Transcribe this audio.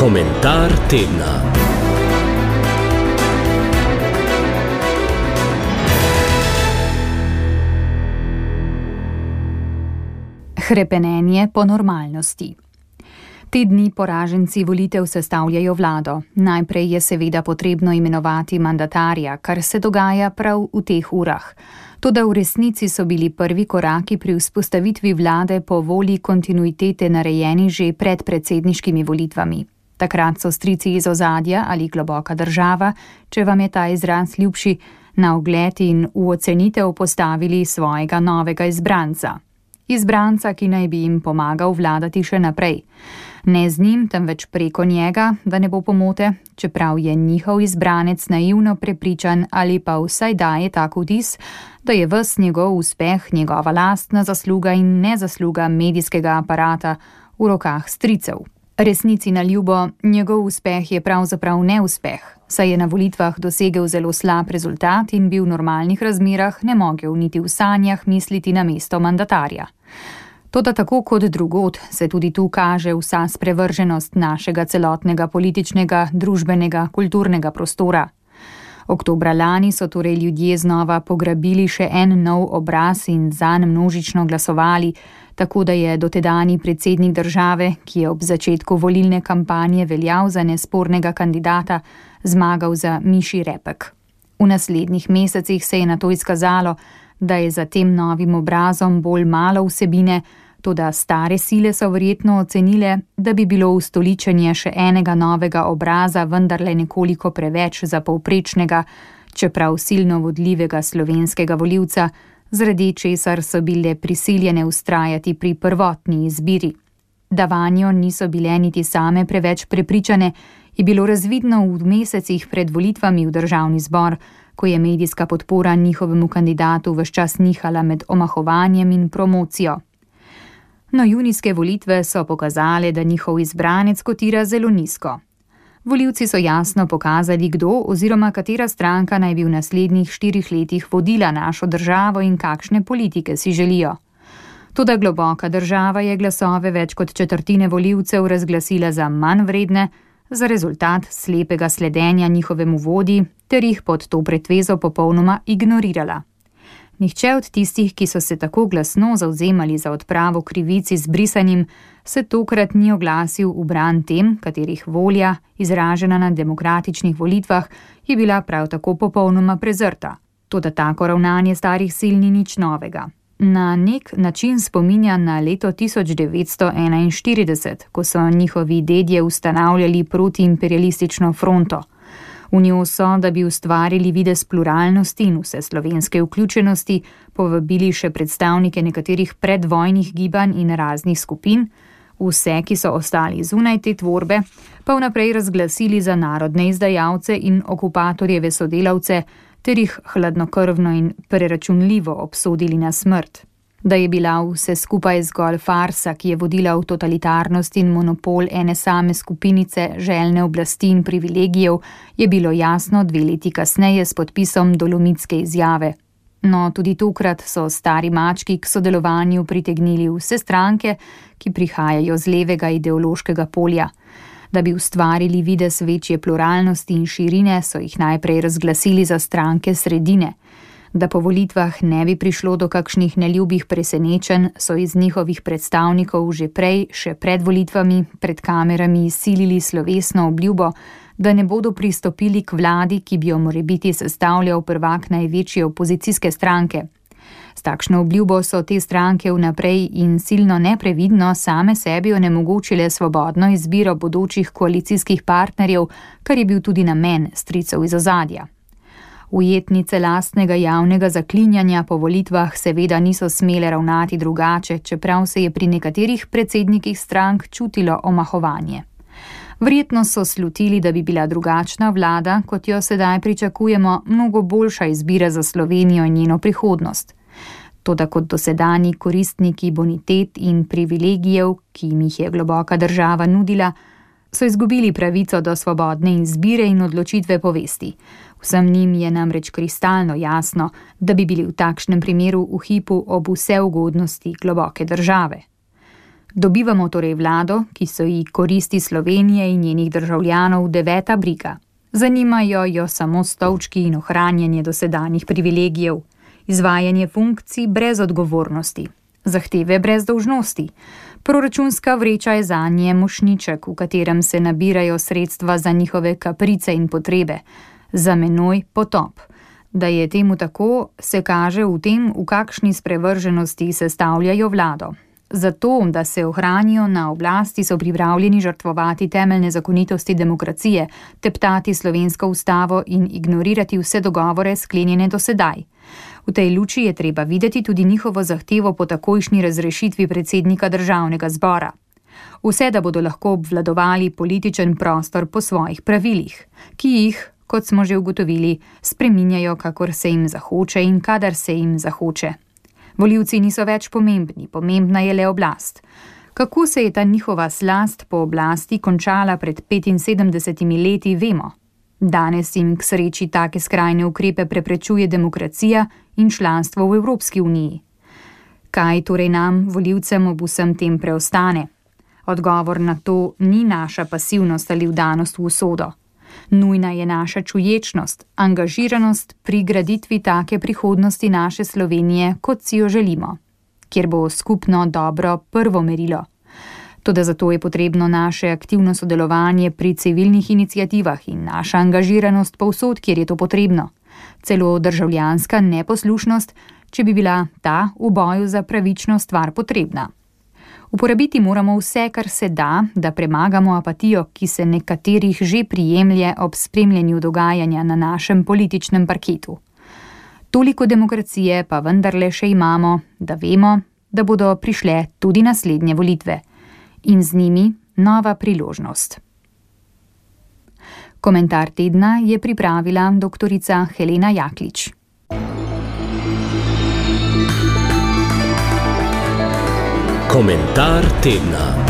Komentar tedna. Hrepenenje po normalnosti. Te dni poraženci volitev sestavljajo vlado. Najprej je seveda potrebno imenovati mandatarja, kar se dogaja prav v teh urah. Toda v resnici so bili prvi koraki pri vzpostavitvi vlade po volji kontinuitete narejeni že pred predsedniškimi volitvami. Takrat so strici iz ozadja ali globoka država, če vam je ta izraz ljubši, na ogled in v ocenitev postavili svojega novega izbranca. Izbranca, ki naj bi jim pomagal vladati še naprej. Ne z njim, temveč preko njega, da ne bo pomote, čeprav je njihov izbranec naivno prepričan ali pa vsaj daje tak vtis, da je ves njegov uspeh njegova lastna zasluga in nezasluga medijskega aparata v rokah stricev. Resnici na ljubo, njegov uspeh je pravzaprav neuspeh, saj je na volitvah dosegel zelo slab rezultat in bi v normalnih razmerah ne mogel niti v sanjah misliti na mesto mandatarja. Toda tako kot drugod se tudi tu kaže vsa sprevrženost našega celotnega političnega, družbenega, kulturnega prostora. Oktobra lani so torej ljudje znova pograbili še en nov obraz in zanj množično glasovali, tako da je dotedani predsednik države, ki je ob začetku volilne kampanje veljal za nespornega kandidata, zmagal za mišji repek. V naslednjih mesecih se je nato izkazalo, da je za tem novim obrazom bolj malo vsebine, toda stare sile so verjetno ocenile, da bi bilo ustoličenje še enega novega obraza vendarle nekoliko preveč za povprečnega, čeprav silno vodljivega slovenskega volivca, zaradi česar so bile prisiljene vztrajati pri prvotni izbiri. Da vanjo niso bile niti same preveč prepričane, je bilo razvidno v mesecih pred volitvami v državni zbor, ko je medijska podpora njihovemu kandidatu ves čas nihala med omahovanjem in promocijo. No, junijske volitve so pokazale, da njihov izbranec kotira zelo nizko. Volivci so jasno pokazali, kdo oziroma katera stranka naj bi v naslednjih 4 letih vodila našo državo in kakšne politike si želijo. Toda globoka država je glasove več kot četrtine volivcev razglasila za manj vredne, za rezultat slepega sledenja njihovemu vodji ter jih pod to pretvezo popolnoma ignorirala. Nihče od tistih, ki so se tako glasno zavzemali za odpravo krivic z brisanjem, se tokrat ni oglasil v bran tem, katerih volja, izražena na demokratičnih volitvah, je bila prav tako popolnoma prezrta. Toda tako ravnanje starih sil ni nič novega. Na nek način spominja na leto 1941, ko so njihovi dedje ustanavljali protiimperialistično fronto. V njo so, da bi ustvarili videz pluralnosti in vse slovenske vključenosti, povabili še predstavnike nekaterih predvojnih gibanj in raznih skupin, vse, ki so ostali zunaj te tvorbe, pa vnaprej razglasili za narodne izdajalce in okupatorjeve sodelavce, ter jih hladnokrvno in preračunljivo obsodili na smrt. Da je bila vse skupaj zgolj farsa, ki je vodila v totalitarnost in monopol ene same skupinice željne oblasti in privilegijev, je bilo jasno 2 leti kasneje s podpisom Dolomitske izjave. No, tudi tokrat so stari mački k sodelovanju pritegnili vse stranke, ki prihajajo z levega ideološkega polja. Da bi ustvarili videz večje pluralnosti in širine, so jih najprej razglasili za stranke sredine. Da po volitvah ne bi prišlo do kakšnih neljubih presenečenj, so iz njihovih predstavnikov že prej, še pred volitvami, pred kamerami silili slovesno obljubo, da ne bodo pristopili k vladi, ki bi jo morebiti sestavljal prvak največje opozicijske stranke. S takšno obljubo so te stranke vnaprej in silno neprevidno same sebi onemogočile svobodno izbiro bodočih koalicijskih partnerjev, kar je bil tudi namen stricev iz ozadja. Ujetnice lastnega javnega zaklinjanja po volitvah seveda niso smele ravnati drugače, čeprav se je pri nekaterih predsednikih strank čutilo omahovanje. Verjetno so slutili, da bi bila drugačna vlada, kot jo sedaj pričakujemo, mnogo boljša izbira za Slovenijo in njeno prihodnost. Toda kot dosedanji koristniki bonitet in privilegijev, ki jim jih je globoka država nudila, so izgubili pravico do svobodne izbire in odločitve povesti. Vsem njim je namreč kristalno jasno, da bi bili v takšnem primeru v hipu ob vse ugodnosti globoke države. Dobivamo torej vlado, ki so ji koristi Slovenije in njenih državljanov deveta briga. Zanimajo jo samo stolčki in ohranjanje dosedanjih privilegijev, izvajanje funkcij brez odgovornosti, zahteve brez dolžnosti. Proračunska vreča je zanje mošnjiček, v katerem se nabirajo sredstva za njihove kaprice in potrebe. Za menoj potop. Da je temu tako, se kaže v tem, v kakšni sprevrženosti sestavljajo vlado. Zato, da se ohranijo na oblasti, so pripravljeni žrtvovati temeljne zakonitosti demokracije, teptati slovensko ustavo in ignorirati vse dogovore sklenjene do sedaj. V tej luči je treba videti tudi njihovo zahtevo po takojšnji razrešitvi predsednika državnega zbora. Vse, da bodo lahko obvladovali političen prostor po svojih pravilih, ki jih, kot smo že ugotovili, spreminjajo, kakor se jim zahoče in kadar se jim zahoče. Volivci niso več pomembni, pomembna je le oblast. Kako se je ta njihova slast po oblasti končala pred 75 leti, vemo. Danes jim k sreči take skrajne ukrepe preprečuje demokracija in članstvo v Evropski uniji. Kaj torej nam, volivcem, ob vsem tem preostane? Odgovor na to ni naša pasivnost ali vdanost v usodo. Nujna je naša čuječnost, angažiranost pri graditvi take prihodnosti naše Slovenije, kot si jo želimo, kjer bo skupno dobro prvo merilo. Toda zato je potrebno naše aktivno sodelovanje pri civilnih iniciativah in naša angažiranost povsod, kjer je to potrebno. Celo državljanska neposlušnost, če bi bila ta v boju za pravično stvar potrebna. Uporabiti moramo vse, kar se da premagamo apatijo, ki se nekaterih že prijemlje ob spremljanju dogajanja na našem političnem parketu. Toliko demokracije pa vendarle še imamo, da vemo, da bodo prišle tudi naslednje volitve. In z njimi nova priložnost. Komentar tedna je pripravila doktorica Helena Jaklič. Komentar tedna.